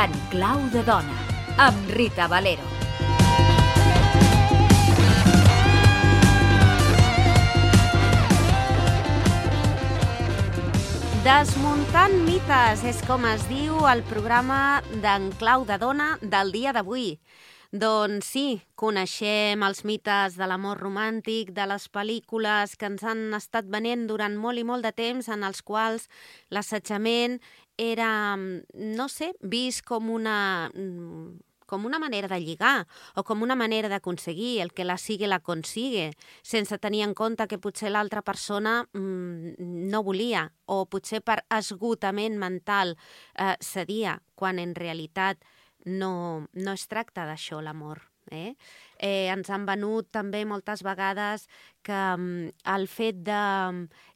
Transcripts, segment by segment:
En clau de dona, amb Rita Valero. Desmuntant mites és com es diu el programa d'en clau de dona del dia d'avui. Doncs sí, coneixem els mites de l'amor romàntic, de les pel·lícules que ens han estat venent durant molt i molt de temps, en els quals l'assetjament era, no sé, vist com una manera de lligar o com una manera d'aconseguir el que la sigue la consigue, sense tenir en compte que potser l'altra persona no volia o potser per esgotament mental cedia, quan en realitat no es tracta d'això l'amor. Ens han venut també moltes vegades que el fet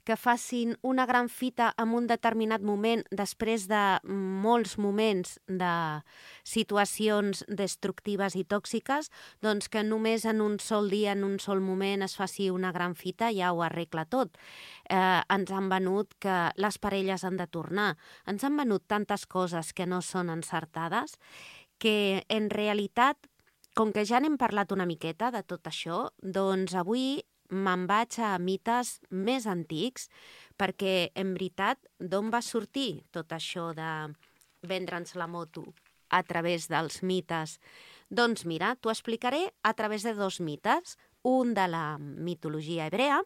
que facin una gran fita en un determinat moment després de molts moments de situacions destructives i tòxiques, doncs que només en un sol dia, en un sol moment es faci una gran fita ja ho arregla tot. Ens han venut que les parelles han de tornar. Ens han venut tantes coses que no són encertades que en realitat, com que ja n'hem parlat una miqueta de tot això, doncs avui me'n vaig a mites més antics, perquè en veritat d'on va sortir tot això de vendre'ns la moto a través dels mites? Doncs mira, t'ho explicaré a través de dos mites, un de la mitologia hebrea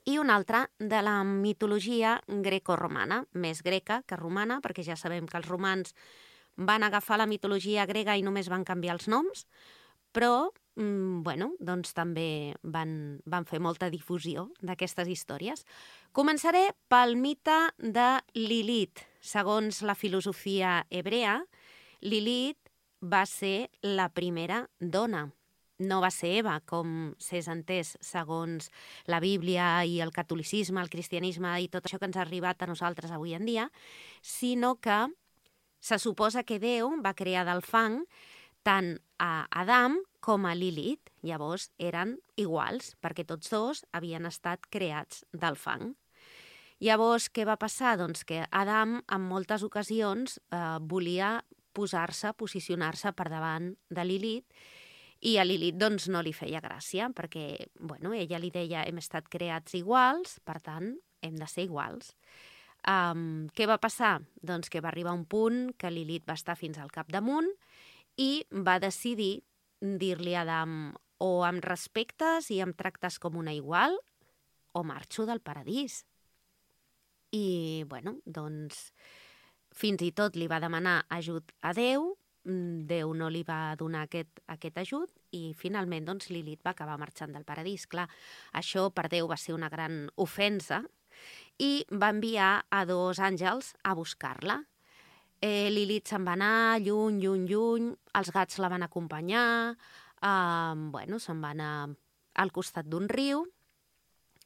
i un altre de la mitologia grecorromana, més greca que romana, perquè ja sabem que els romans van agafar la mitologia grega i només van canviar els noms, però doncs també van fer molta difusió d'aquestes històries. Començaré pel mite de Lilith. Segons la filosofia hebrea, Lilith va ser la primera dona. No va ser Eva, com s'és entès segons la Bíblia i el catolicisme, el cristianisme i tot això que ens ha arribat a nosaltres avui en dia, sinó que se suposa que Déu va crear del fang tant a Adam com a Lilith. Llavors eren iguals, perquè tots dos havien estat creats del fang. Llavors, què va passar? Doncs que Adam en moltes ocasions volia posicionar-se per davant de Lilith, i a Lilith doncs, no li feia gràcia, perquè ella li deia hem estat creats iguals, per tant hem de ser iguals. Què va passar? Doncs que va arribar un punt que Lilith va estar fins al capdamunt i va decidir dir-li a Adam o em respectes i em tractes com una igual o marxo del paradís. I, doncs, fins i tot li va demanar ajut a Déu, Déu no li va donar aquest ajut i finalment doncs, Lilith va acabar marxant del paradís. Clar, això per Déu va ser una gran ofensa i va enviar a dos àngels a buscar-la. Lilith se'n va anar lluny, els gats la van acompanyar, se'n va anar al costat d'un riu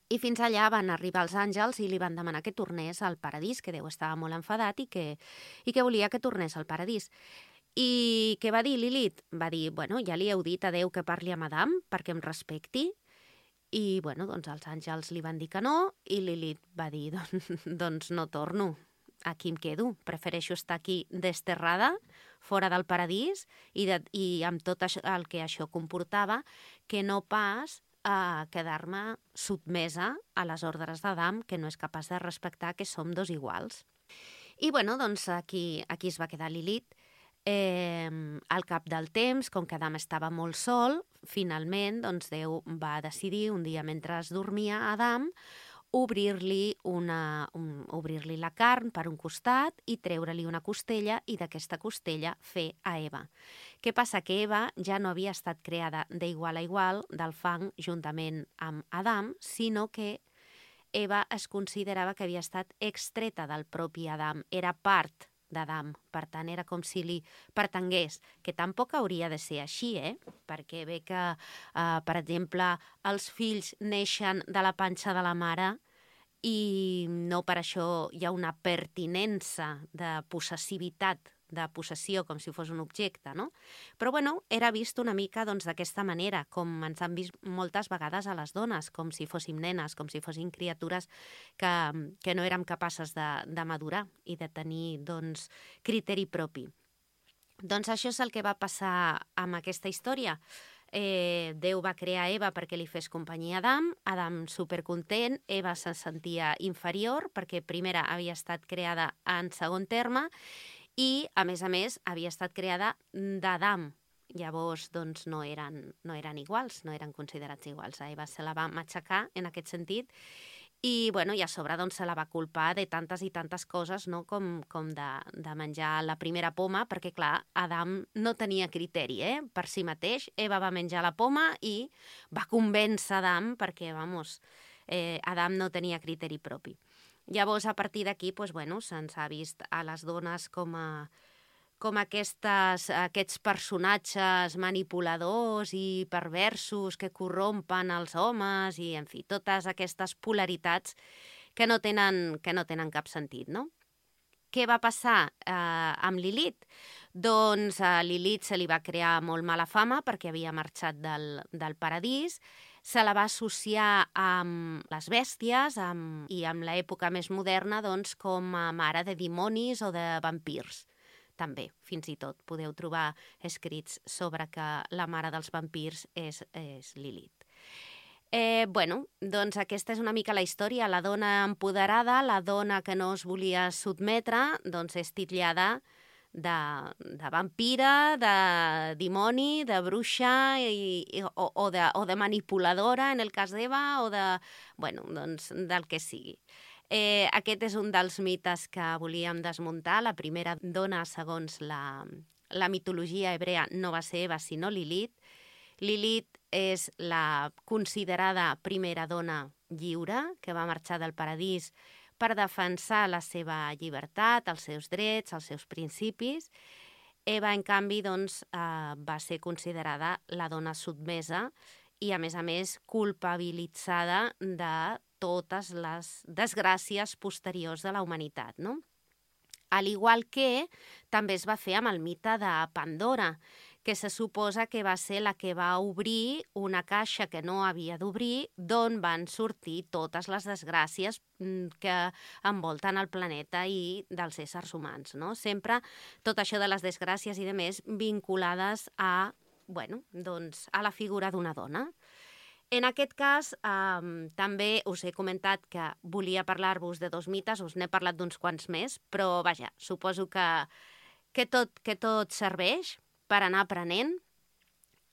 i fins allà van arribar els àngels i li van demanar que tornés al paradís, que Déu estava molt enfadat i que volia que tornés al paradís. I què va dir Lilith? Va dir, ja li heu dit a Déu que parli amb Adam perquè em respecti. I doncs els àngels li van dir que no i Lilith va dir, doncs no torno, aquí em quedo, prefereixo estar aquí desterrada, fora del paradís i amb tot el que això comportava, que no pas a quedar-me sotmesa a les ordres d'Adam, que no és capaç de respectar que som dos iguals. I doncs aquí es va quedar Lilith. Al cap del temps, com que Adam estava molt sol, finalment doncs, Déu va decidir, un dia mentre dormia Adam, obrir-li la carn per un costat i treure-li una costella i d'aquesta costella fer a Eva. Què passa? Que Eva ja no havia estat creada d'igual a igual del fang juntament amb Adam, sinó que Eva es considerava que havia estat extreta del propi Adam, era part d'Adam, per tant era com si li pertangués, que tampoc hauria de ser així, perquè ve que, per exemple, els fills neixen de la panxa de la mare i no per això hi ha una pertinença de possessivitat de possessió, com si fos un objecte, no? Però, bueno, era vist una mica d'aquesta manera, com ens han vist moltes vegades a les dones, com si fóssim nenes, com si fossin criatures que no érem capaces de madurar i de tenir, criteri propi. Doncs això és el que va passar amb aquesta història. Déu va crear Eva perquè li fes companyia a Adam, Adam supercontent, Eva se sentia inferior perquè primera havia estat creada en segon terme i, a més, havia estat creada d'Adam. Llavors, no eren iguals, no eren considerats iguals. A Eva se la va matxacar en aquest sentit i, i a sobre se la va culpar de tantes i tantes coses, no? com de menjar la primera poma, perquè, clar, Adam no tenia criteri per si mateix. Eva va menjar la poma i va convèncer Adam perquè, Adam no tenia criteri propi. Llavors, a partir d'aquí, se'ns ha vist a les dones com aquests personatges manipuladors i perversos que corrompen els homes i, en fi, totes aquestes polaritats que no tenen cap sentit, no? Què va passar amb Lilith? Doncs a Lilith se li va crear molt mala fama perquè havia marxat del paradís, se la va associar amb les bèsties i amb l'època més moderna com a mare de dimonis o de vampirs. També, fins i tot, podeu trobar escrits sobre que la mare dels vampirs és Lilith. Doncs aquesta és una mica la història. La dona empoderada, la dona que no es volia sotmetre, és titllada de vampira, de dimoni, de bruixa o de manipuladora, en el cas d'Eva, o del que sigui. Aquest és un dels mites que volíem desmuntar. La primera dona, segons la mitologia hebrea, no va ser Eva, sinó Lilith. Lilith és la considerada primera dona lliure que va marxar del paradís per defensar la seva llibertat, els seus drets, els seus principis. Eva, en canvi, va ser considerada la dona sotmesa i, a més, culpabilitzada de totes les desgràcies posteriors de la humanitat, no? Al igual que també es va fer amb el mite de Pandora, que se suposa que va ser la que va obrir una caixa que no havia d'obrir, d'on van sortir totes les desgràcies que envolten el planeta i dels éssers humans, no? Sempre tot això de les desgràcies i de més vinculades a la figura d'una dona. En aquest cas, també us he comentat que volia parlar-vos de 2 mites, us n'he parlat d'uns quants més, però vaja, suposo que tot serveix per anar aprenent.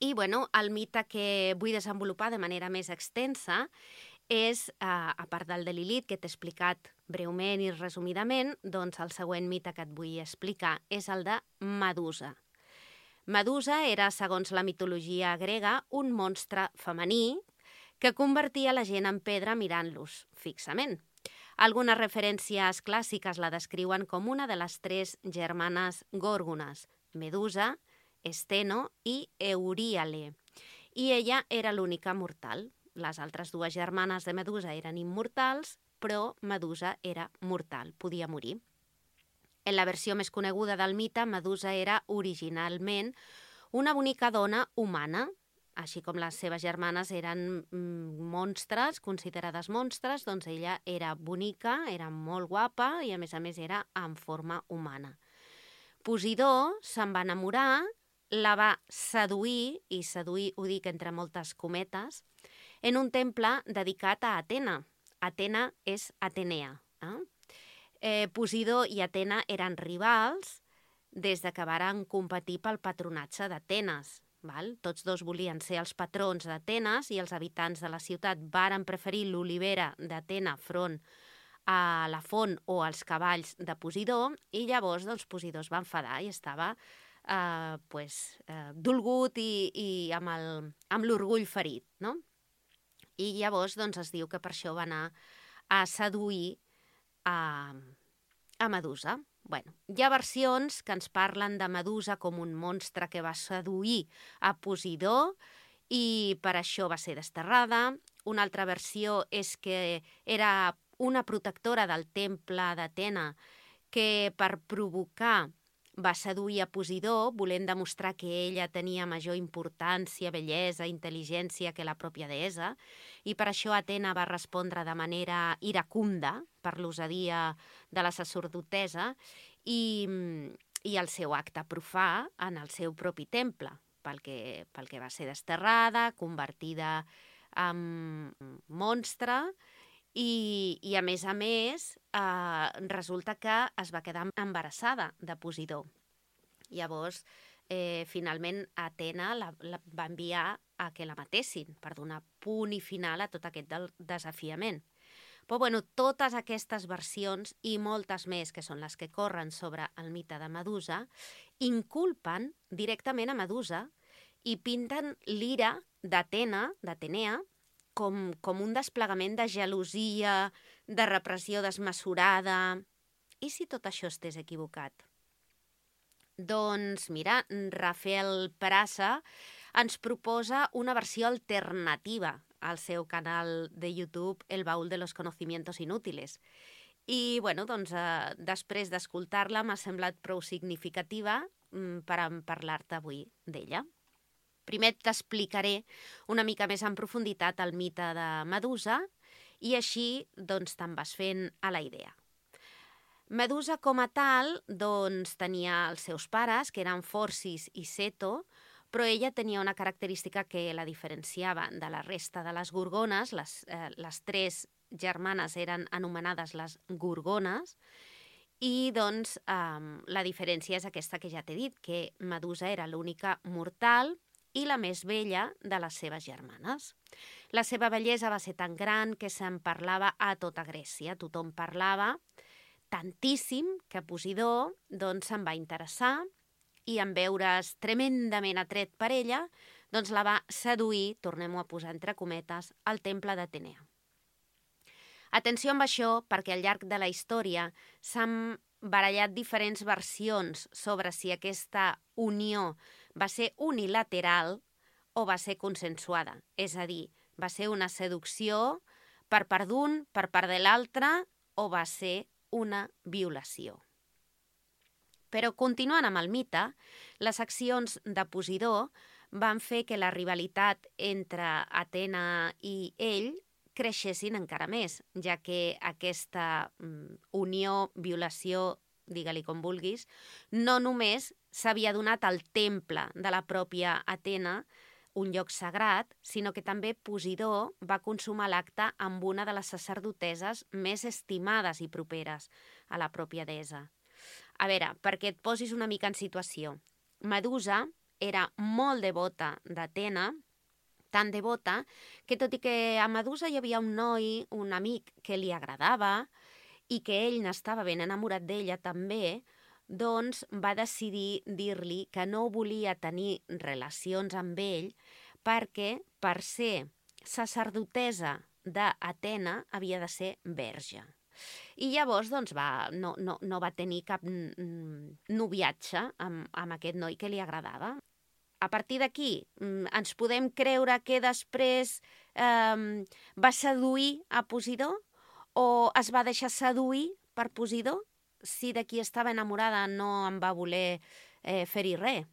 I el mite que vull desenvolupar de manera més extensa és, a part del de Lilith, que t'he explicat breument i resumidament, doncs el següent mite que et vull explicar és el de Medusa. Medusa era, segons la mitologia grega, un monstre femení que convertia la gent en pedra mirant-los fixament. Algunes referències clàssiques la descriuen com una de les 3 germanes gòrgones, Medusa, Esteno i Euríale. I ella era l'única mortal. Les altres 2 germanes de Medusa eren immortals, però Medusa era mortal, podia morir. En la versió més coneguda del mite, Medusa era originalment una bonica dona humana, així com les seves germanes eren monstres, considerades monstres, doncs ella era bonica, era molt guapa i a més era en forma humana. Posidó se'n va enamorar, la va seduir, i seduir ho dic entre moltes cometes, en un temple dedicat a Atena. Atena és Atenea. Posidó i Atena eren rivals des de que varen competir pel patronatge d'Atenes. Tots 2 volien ser els patrons d'Atenes i els habitants de la ciutat varen preferir l'olivera d'Atena front a la font o als cavalls de Posidó i llavors Posidó es va enfadar i estava dolgut i amb l'orgull ferit, no? I llavors es diu que per això va anar a seduir a Medusa. Hi ha versions que ens parlen de Medusa com un monstre que va seduir a Posidó i per això va ser desterrada. Una altra versió és que era una protectora del temple d'Atena que per provocar va seduir a Posidó, volent demostrar que ella tenia major importància, bellesa, intel·ligència que la pròpia deessa, i per això Atena va respondre de manera iracunda per l'osadia de la sacerdotessa i el seu acte profà en el seu propi temple, pel que va ser desterrada, convertida en monstre i a més, resulta que es va quedar embarassada de Posidó. Llavors, finalment, Atena la va enviar a que la matessin per donar punt i final a tot aquest desafiament. Però, totes aquestes versions i moltes més, que són les que corren sobre el mite de Medusa, inculpen directament a Medusa i pinten l'ira d'Atenea, com un desplegament de gelosia, de repressió desmesurada. I si tot això estés equivocat? Doncs mira, Rafael Peraza ens proposa una versió alternativa al seu canal de YouTube El baúl de los conocimientos inútiles. I, després d'escoltar-la m'ha semblat prou significativa per parlar-te avui d'ella. Primer t'explicaré una mica més en profunditat el mite de Medusa i així te'n vas fent a la idea. Medusa com a tal tenia els seus pares, que eren Forcis i Ceto, però ella tenia una característica que la diferenciava de la resta de les gorgones. Les tres germanes eren anomenades les gorgones i la diferència és aquesta que ja t'he dit, que Medusa era l'única mortal i la més vella de les seves germanes. La seva bellesa va ser tan gran que se'n parlava a tota Grècia. Tothom parlava tantíssim que Posidó se'n va interessar i en veure's tremendament atret per ella, la va seduir, tornem-ho a posar entre cometes, al temple d'Atenea. Atenció amb això, perquè al llarg de la història s'han barallat diferents versions sobre si aquesta unió va ser unilateral o va ser consensuada. És a dir, va ser una seducció per part d'un, per part de l'altre, o va ser una violació. Però continuant amb el mite, les accions de Posidó van fer que la rivalitat entre Atena i ell creixessin encara més, ja que aquesta unió, violació, digue-li com vulguis, no només s'havia donat al temple de la pròpia Atena, un lloc sagrat, sinó que també Posidó va consumar l'acte amb una de les sacerdotesses més estimades i properes a la pròpia deessa. A veure, perquè et posis una mica en situació, Medusa era molt devota d'Atena, tan devota que tot i que a Medusa hi havia un noi, un amic que li agradava i que ell n'estava ben enamorat d'ella també, va decidir dir-li que no volia tenir relacions amb ell perquè per ser sacerdotessa d'Atena havia de ser verge. I llavors no va tenir cap noviatge amb aquest noi que li agradava. A partir d'aquí ens podem creure que després va seduir a Posidó o es va deixar seduir per Posidó? Si de qui estava enamorada no en va voler fer-hi res,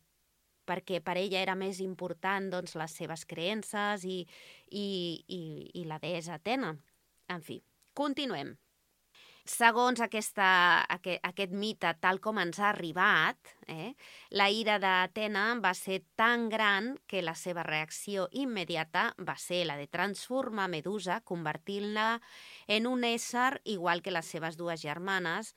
perquè per ella era més important les seves creences i la deessa Atena. En fi, continuem. Segons aquest mite, tal com ens ha arribat, la ira d'Atena va ser tan gran que la seva reacció immediata va ser la de transformar Medusa, convertint-la en un ésser igual que les seves dues germanes,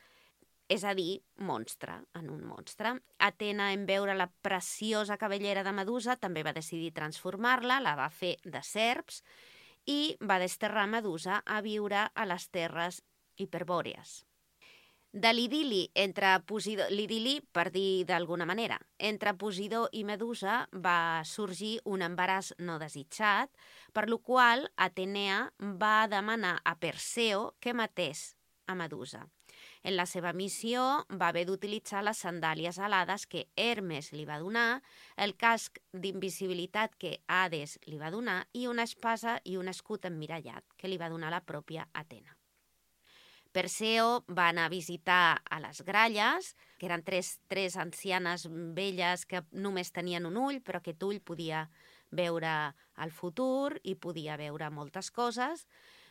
és a dir, en un monstre. Atena, en veure la preciosa cabellera de Medusa, també va decidir transformar-la, la va fer de serps i va desterrar Medusa a viure a les terres hiperbòrees. De l'idili per dir d'alguna manera, entre Posidó i Medusa va sorgir un embaràs no desitjat, per lo qual Atenea va demanar a Perseo que matés a Medusa. En la seva missió va haver d'utilitzar les sandàlies alades que Hermes li va donar, el casc d'invisibilitat que Hades li va donar i una espasa i un escut emmirallat que li va donar la pròpia Atena. Perseo va anar a visitar a les gralles, que eren tres ancianes velles que només tenien un ull, però aquest ull podia veure el futur i podia veure moltes coses,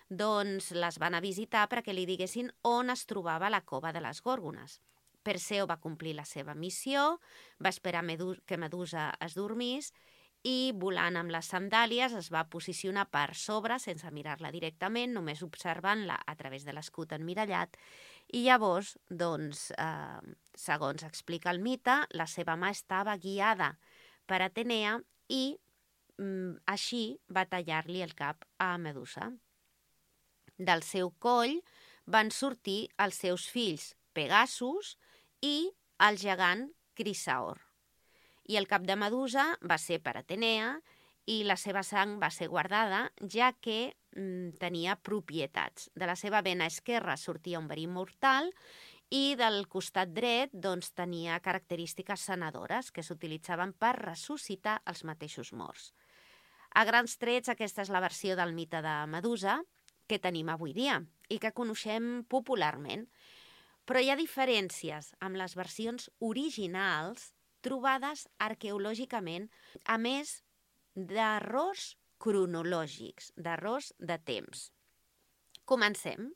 doncs les van a visitar perquè li diguessin on es trobava la cova de les Gòrgones. Perseo va complir la seva missió, va esperar que Medusa es dormís i, volant amb les sandàlies, es va posicionar per sobre, sense mirar-la directament, només observant-la a través de l'escut emmirallat. I llavors, doncs, segons explica el mite, la seva mà estava guiada per Atenea i així va tallar-li el cap a Medusa. Del seu coll van sortir els seus fills Pegasus i el gegant Crisaor. I el cap de Medusa va ser per Atenea i la seva sang va ser guardada, ja que tenia propietats. De la seva vena esquerra sortia un verí mortal i del costat dret doncs, tenia característiques sanadores que s'utilitzaven per ressuscitar els mateixos morts. A grans trets, aquesta és la versió del mite de Medusa que tenim avui dia i que coneixem popularment. Però hi ha diferències amb les versions originals trobades arqueològicament, a més d'errors cronològics, d'errors de temps. Comencem.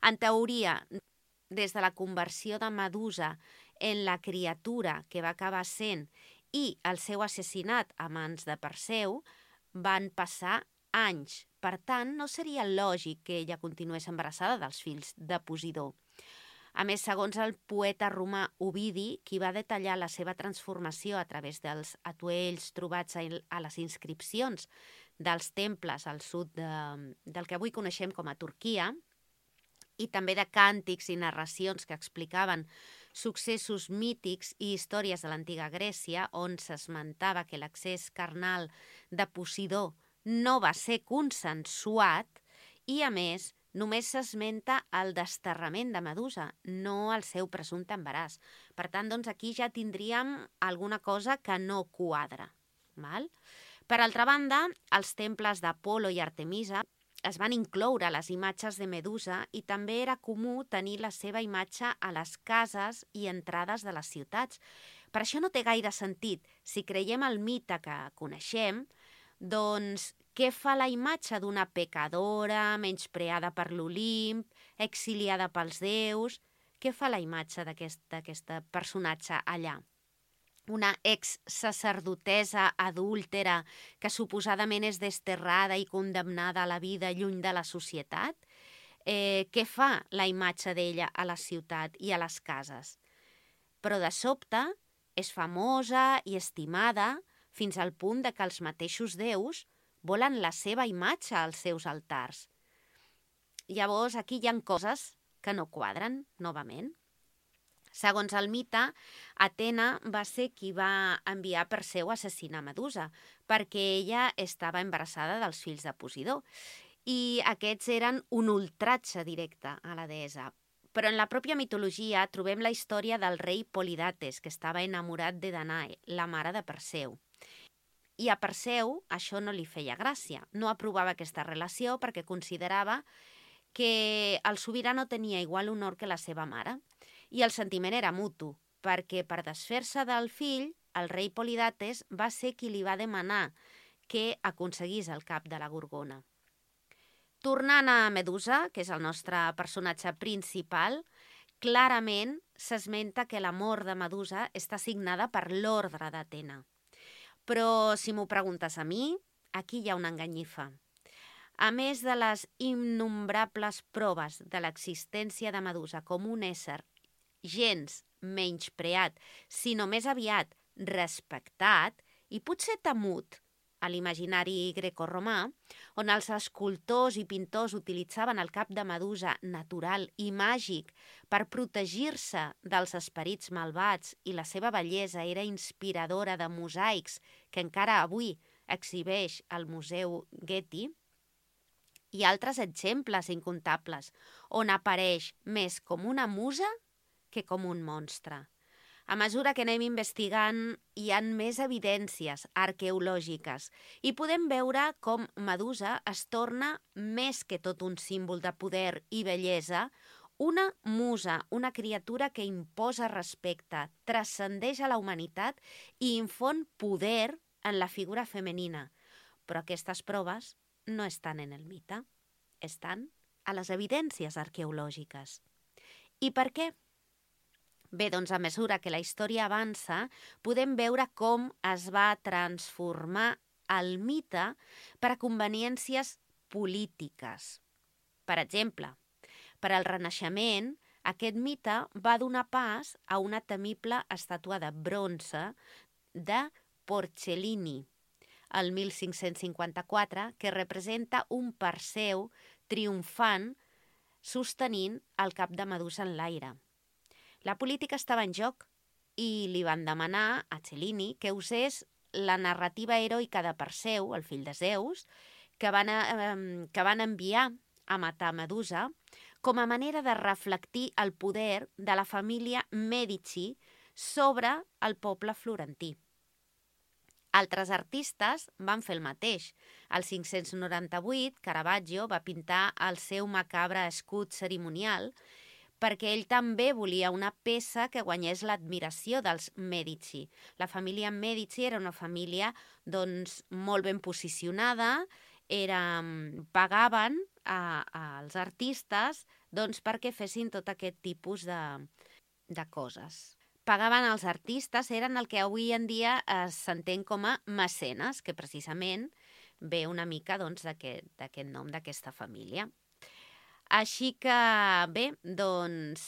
En teoria, des de la conversió de Medusa en la criatura que va acabar sent i el seu assassinat a mans de Perseu, van passar anys. Per tant, no seria lògic que ella continués embarassada dels fills de Posidó. A més, segons el poeta romà Ovidi, qui va detallar la seva transformació a través dels atuells trobats a les inscripcions dels temples al sud del que avui coneixem com a Turquia, i també de càntics i narracions que explicaven successos mítics i històries de l'antiga Grècia, on s'esmentava que l'accés carnal de Posidó no va ser consensuat i, a més, només s'esmenta el desterrament de Medusa, no el seu presumpte embaràs. Per tant, doncs, aquí ja tindríem alguna cosa que no quadra. Val? Per altra banda, els temples d'Apolo i Artemisa es van incloure a les imatges de Medusa i també era comú tenir la seva imatge a les cases i entrades de les ciutats. Per això no té gaire sentit. Si creiem el mite que coneixem, doncs què fa la imatge d'una pecadora, menyspreada per l'Olimp, exiliada pels déus? Què fa la imatge d'aquest personatge allà? Una ex-sacerdotessa adúltera que suposadament és desterrada i condemnada a la vida lluny de la societat? Què fa la imatge d'ella a la ciutat i a les cases? Però de sobte és famosa i estimada fins al punt de que els mateixos déus volen la seva imatge als seus altars. Llavors, aquí hi ha coses que no quadren, novament. Segons el mite, Atena va ser qui va enviar Perseu a assassinar Medusa, perquè ella estava embarassada dels fills de Posidó. I aquests eren un ultratge directe a la deessa. Però en la pròpia mitologia trobem la història del rei Polidates, que estava enamorat de Danae, la mare de Perseu. I a Perseu això no li feia gràcia. No aprovava aquesta relació perquè considerava que el sobirà no tenia igual honor que la seva mare. I el sentiment era mutu, perquè per desfer-se del fill, el rei Polidates va ser qui li va demanar que aconseguís el cap de la Gorgona. Tornant a Medusa, que és el nostre personatge principal, clarament s'esmenta que la mort de Medusa està signada per l'ordre d'Atena. Però si m'ho preguntes a mi, aquí hi ha una enganyifa. A més de les innombrables proves de l'existència de Medusa com un ésser gens menyspreat, sinó més aviat respectat i potser temut a l'imaginari grecorromà, on els escultors i pintors utilitzaven el cap de Medusa natural i màgic per protegir-se dels esperits malvats i la seva bellesa era inspiradora de mosaics que encara avui exhibeix al Museu Getty, hi ha altres exemples incontables on apareix més com una musa que com un monstre. A mesura que anem investigant, hi ha més evidències arqueològiques i podem veure com Medusa es torna més que tot un símbol de poder i bellesa Una musa, una criatura que imposa respecte, transcendeix a la humanitat i infon poder en la figura femenina. Però aquestes proves no estan en el mite, estan a les evidències arqueològiques. I per què? Bé, doncs a mesura que la història avança, podem veure com es va transformar el mite per a conveniències polítiques. Per exemple, per al Renaixement, aquest mite va donar pas a una temible estàtua de bronze de Porcellini, el 1554, que representa un Perseu triomfant sostenint el cap de Medusa en l'aire. La política estava en joc i li van demanar a Cellini que usés la narrativa heroica de Perseu, el fill de Zeus, que van enviar a matar Medusa, com a manera de reflectir el poder de la família Mèdici sobre el poble florentí. Altres artistes van fer el mateix. Al 598, Caravaggio va pintar el seu macabre escut cerimonial perquè ell també volia una peça que guanyés l'admiració dels Mèdici. La família Mèdici era una família molt ben posicionada, pagaven als artistes perquè fessin tot aquest tipus de coses. Pagaven als artistes, eren el que avui en dia s'entén com a mecenes, que precisament ve una mica d'aquest nom d'aquesta família. Així que, bé,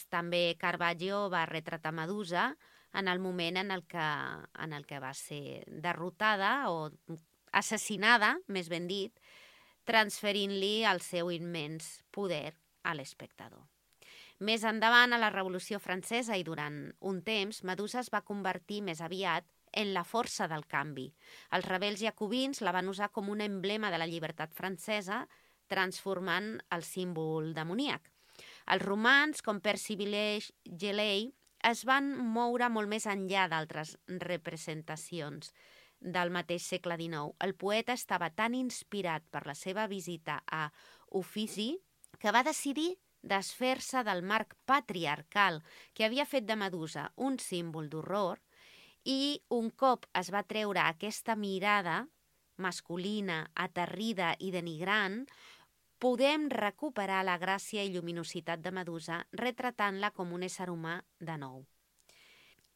també Caravaggio va retratar Medusa en el moment en el que va ser derrotada o assassinada, més ben dit, transferint-li el seu immens poder a l'espectador. Més endavant, a la Revolució Francesa i durant un temps, Medusa es va convertir més aviat en la força del canvi. Els rebels jacobins la van usar com un emblema de la llibertat francesa, transformant el símbol demoníac. Els romans, com Percy Shelley, es van moure molt més enllà d'altres representacions del mateix segle XIX. El poeta estava tan inspirat per la seva visita a Uffizi que va decidir desfer-se del marc patriarcal que havia fet de Medusa un símbol d'horror i un cop es va treure aquesta mirada masculina, aterrida i denigrant, podem recuperar la gràcia i lluminositat de Medusa retratant-la com un ésser humà de nou.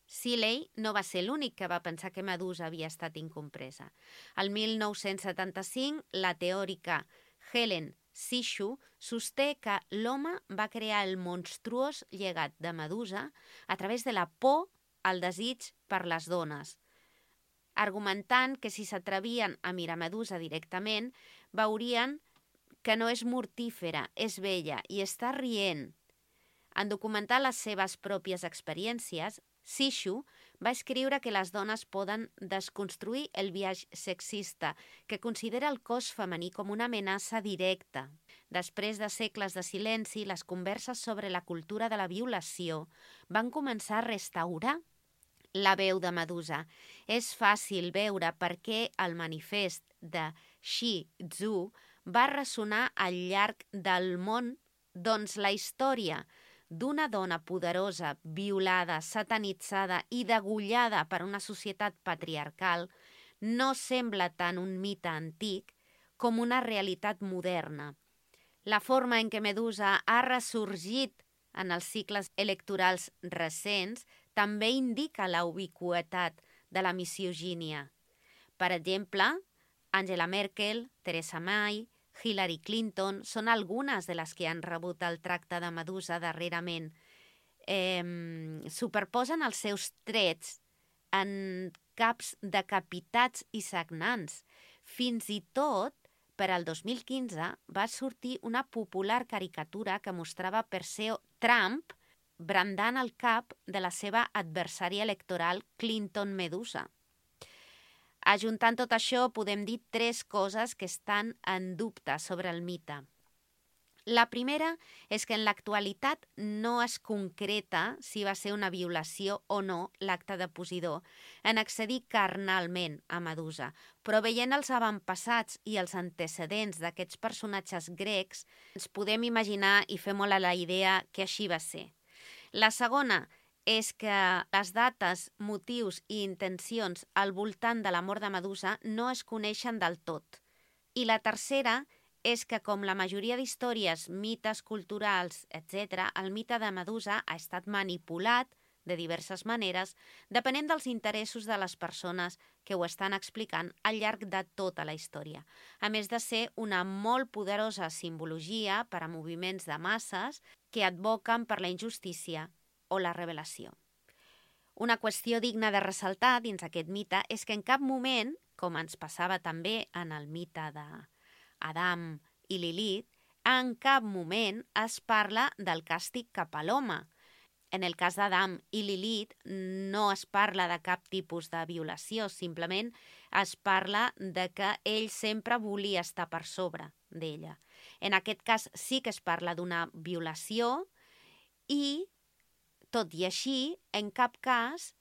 Shelley no va ser l'únic que va pensar que Medusa havia estat incompresa. El 1975, la teòrica Helen Sixu sosté que l'home va crear el monstruós llegat de Medusa a través de la por al desig per les dones, argumentant que si s'atrevien a mirar Medusa directament, veurien que no és mortífera, és bella i està rient. En documentar les seves pròpies experiències, Sixu va escriure que les dones poden desconstruir el biaix sexista, que considera el cos femení com una amenaça directa. Després de segles de silenci, les converses sobre la cultura de la violació van començar a restaurar la veu de Medusa. És fàcil veure per què el manifest de Shi Tzu va ressonar al llarg del món, doncs la història d'una dona poderosa, violada, satanitzada i degollada per una societat patriarcal no sembla tant un mite antic com una realitat moderna. La forma en què Medusa ha ressorgit en els cicles electorals recents també indica la ubiqüitat de la misogínia. Per exemple, Angela Merkel, Theresa May, Hillary Clinton són algunes de les que han rebut el tracte de Medusa darrerament. Superposen els seus trets en caps decapitats i sagnants. Fins i tot, per al 2015, va sortir una popular caricatura que mostrava Perseu Trump brandant el cap de la seva adversària electoral Clinton Medusa. Ajuntant tot això, podem dir 3 coses que estan en dubte sobre el mite. La primera és que en l'actualitat no es concreta si va ser una violació o no l'acte de Posidó en accedir carnalment a Medusa, però veient els avantpassats i els antecedents d'aquests personatges grecs, ens podem imaginar i fer molt a la idea que així va ser. La segona és que les dates, motius i intencions al voltant de la mort de Medusa no es coneixen del tot. I la tercera és que, com la majoria d'històries, mites culturals, etc., el mite de Medusa ha estat manipulat de diverses maneres, depenent dels interessos de les persones que ho estan explicant al llarg de tota la història, a més de ser una molt poderosa simbologia per a moviments de masses que advoquen per la injustícia o la revelació. Una qüestió digna de ressaltar dins aquest mite és que en cap moment, com ens passava també en el mite d'Adam i Lilith, en cap moment es parla del càstig cap a l'home. En el cas d'Adam i Lilith no es parla de cap tipus de violació, simplement es parla de que ell sempre volia estar per sobre d'ella. En aquest cas sí que es parla d'una violació i, tot i així, en cap cas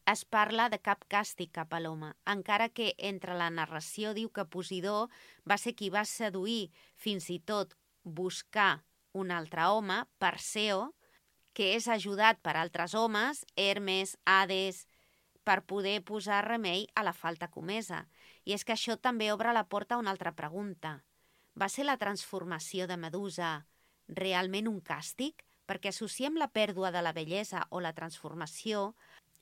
es parla de cap càstig cap a l'home, encara que entre la narració diu que Posidó va ser qui va seduir, fins i tot buscar un altre home, Perseo, que és ajudat per altres homes, Hermes, Hades, per poder posar remei a la falta comesa. I és que això també obre la porta a una altra pregunta. Va ser la transformació de Medusa realment un càstig? Perquè associem la pèrdua de la bellesa o la transformació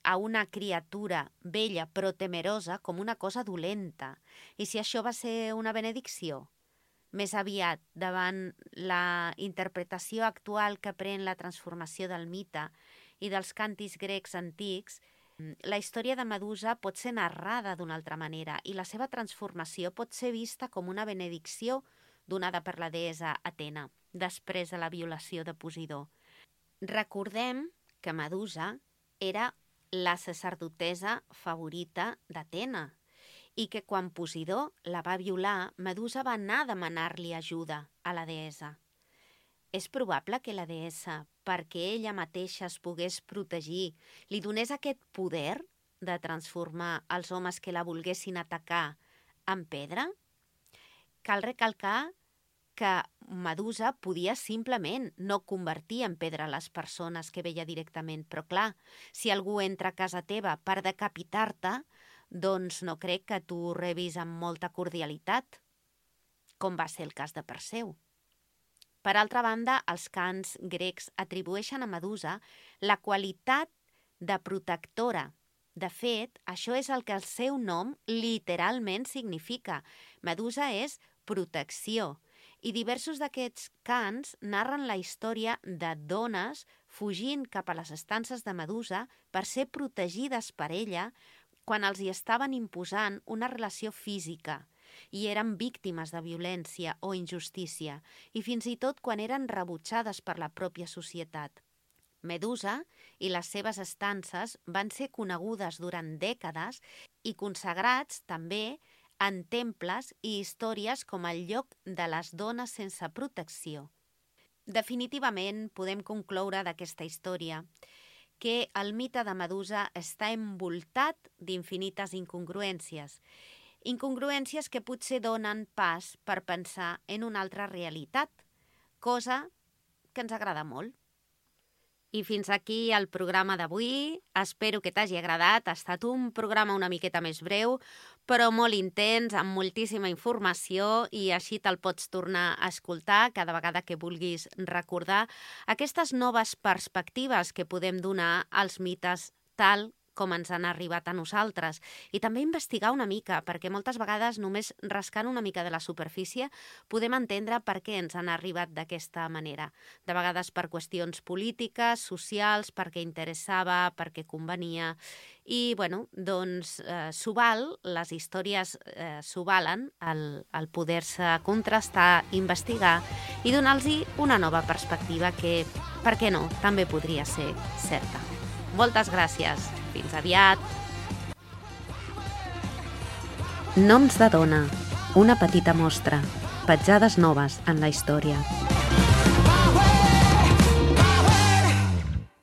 a una criatura bella però temerosa com una cosa dolenta. I si això va ser una benedicció? Més aviat, davant la interpretació actual que pren la transformació del mite i dels càntics grecs antics, la història de Medusa pot ser narrada d'una altra manera i la seva transformació pot ser vista com una benedicció donada per la deessa Atena, després de la violació de Posidó. Recordem que Medusa era la sacerdotessa favorita d'Atena i que quan Posidó la va violar, Medusa va anar a demanar-li ajuda a la deessa. És probable que la deessa, perquè ella mateixa es pogués protegir, li donés aquest poder de transformar els homes que la volguessin atacar en pedra? Cal recalcar que Medusa podia simplement no convertir en pedra les persones que veia directament. Però clar, si algú entra a casa teva per decapitar-te, doncs no crec que tu rebis amb molta cordialitat, com va ser el cas de Perseu. Per altra banda, els cants grecs atribueixen a Medusa la qualitat de protectora. De fet, això és el que el seu nom literalment significa. Medusa és protecció. I diversos d'aquests cants narren la història de dones fugint cap a les estances de Medusa per ser protegides per ella quan els hi estaven imposant una relació física i eren víctimes de violència o injustícia, i fins i tot quan eren rebutjades per la pròpia societat. Medusa i les seves estances van ser conegudes durant dècades i consagrats també en temples i històries com el lloc de les dones sense protecció. Definitivament podem concloure d'aquesta història que el mite de Medusa està envoltat d'infinites incongruències. Incongruències que potser donen pas per pensar en una altra realitat, cosa que ens agrada molt. I fins aquí el programa d'avui. Espero que t'hagi agradat. Ha estat un programa una miqueta més breu, però molt intens, amb moltíssima informació, i així te'l pots tornar a escoltar cada vegada que vulguis recordar aquestes noves perspectives que podem donar als mites tal com ens han arribat a nosaltres. I també investigar una mica, perquè moltes vegades només rascant una mica de la superfície podem entendre per què ens han arribat d'aquesta manera. De vegades per qüestions polítiques, socials, perquè interessava, perquè convenia. I, bueno, doncs s'ho val, les històries s'ho valen, el poder-se contrastar, investigar i donar-los una nova perspectiva que, per què no, també podria ser certa. Moltes gràcies. Fins aviat. Noms de dona. Una petita mostra. Petjades noves en la història.